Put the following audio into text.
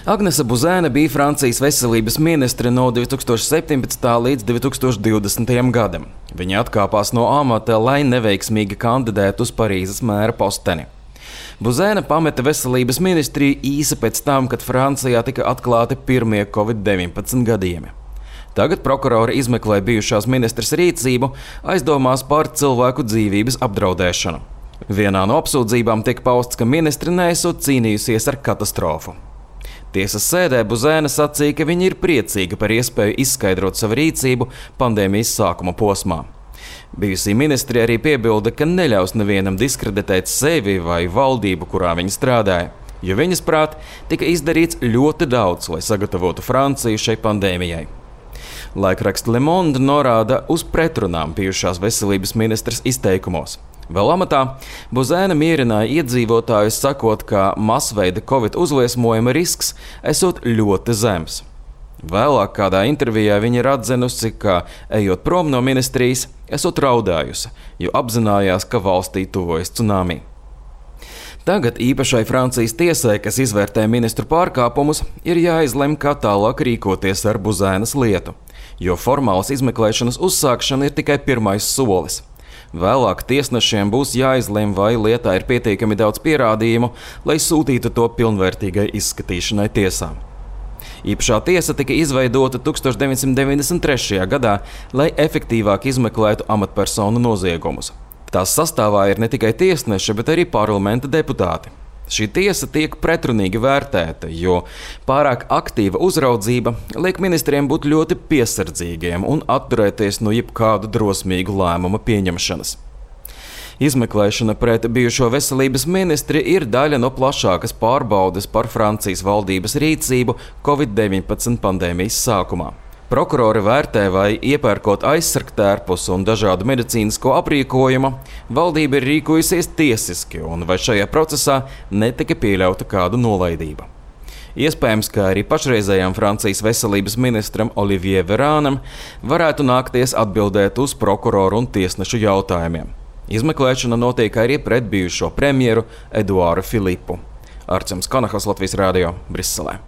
Agnese Buzēne bija Francijas veselības ministre no 2017. līdz 2020. gadam. Viņa atkāpās no amata, lai neveiksmīgi kandidētu uz Parīzes mēra posteni. Buzēne pameta veselības ministriju īsi pēc tam, kad Francijā tika atklāti pirmie Covid-19 gadījumi. Tagad prokurori izmeklē bijušās ministres rīcību, aizdomās par cilvēku dzīvības apdraudēšanu. Vienā no apsūdzībām tiek pausts, ka ministre neesot cīnījusies ar katastrofu. Tiesas sēdē Buzēne sacīja, ka viņa ir priecīga par iespēju izskaidrot savu rīcību pandēmijas sākuma posmā. Bijusī ministre arī piebilda, ka neļaus nevienam diskreditēt sevi vai valdību, kurā viņa strādāja, jo viņas prāt tika izdarīts ļoti daudz, lai sagatavotu Franciju šai pandēmijai. Laikraksts Le Monde norāda uz pretrunām bijušās veselības ministres izteikumos. Vēl amatā Buzēne mierināja iedzīvotājus, sakot, ka masveida Covid uzliesmojuma risks esot ļoti zems. Vēlāk kādā intervijā viņa ir atzinusi, ka, ejot prom no ministrijas, esot raudājusi, jo apzinājās, ka valstī tuvojas cunami. Tagad īpašai Francijas tiesai, kas izvērtē ministru pārkāpumus, ir jāizlem, kā tālāk rīkoties ar Buzēnes lietu, jo formālas izmeklēšanas uzsākšana ir tikai pirmais solis. Vēlāk tiesnešiem būs jāizlem, vai lietā ir pietiekami daudz pierādījumu, lai sūtītu to pilnvērtīgai izskatīšanai tiesām. Īpašā tiesa tika izveidota 1993. gadā, lai efektīvāk izmeklētu amatpersonu noziegumus. Tās sastāvā ir ne tikai tiesneši, bet arī parlamenta deputāti. Šī tiesa tiek pretrunīgi vērtēta, jo pārāk aktīva uzraudzība liek ministriem būt ļoti piesardzīgiem un atturēties no jebkādu drosmīgu lēmumu pieņemšanas. Izmeklēšana pret bijušo veselības ministri ir daļa no plašākas pārbaudes par Francijas valdības rīcību Covid-19 pandēmijas sākumā. Prokurori vērtē, vai iepērkot aizsargtērpus un dažādu medicīnisko aprīkojumu, valdība ir rīkojusies tiesiski un vai šajā procesā netika pieļauta kādu nolaidība. Iespējams, ka arī pašreizējām Francijas veselības ministram Olivier Véranam varētu nākties atbildēt uz prokuroru un tiesnešu jautājumiem. Izmeklēšana notiek arī pret bijušo premjeru Eduāru Filipu. Arcams Kanahas, Latvijas radio, Briselē.